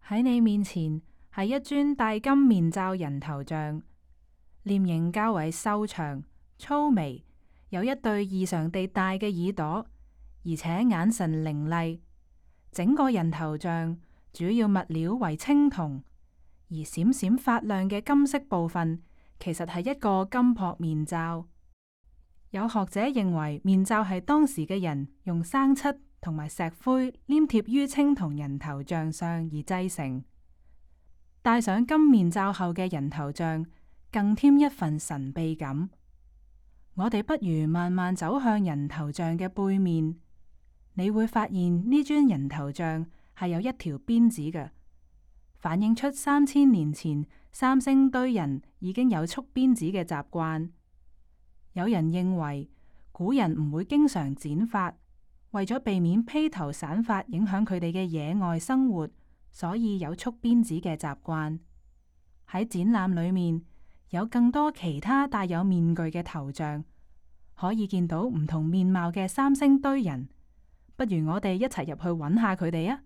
喺你面前係一尊戴金面罩人頭像，臉型較為瘦長、粗眉，有一對異常地大嘅耳朵，而且眼神凌厲。整個人頭像主要物料為青銅，而閃閃發亮嘅金色部分其實係一個金箔面罩。有學者認為面罩係當時嘅人用生漆同埋石灰黏貼於青銅人頭像上而製成。戴上金面罩後嘅人頭像更添一份神秘感。我哋不如慢慢走向人頭像嘅背面，你會發現呢尊人頭像係有一條辮子嘅，反映出3000年前三星堆人已經有束辮子嘅習慣。有人認為古人唔會經常剪髮，為咗避免披頭散髮影響佢哋嘅野外生活，所以有束辮子嘅習慣。喺展覽裏面有更多其他帶有面具嘅頭像，可以見到唔同面貌嘅三星堆人。不如我哋一齊入去揾下佢哋啊！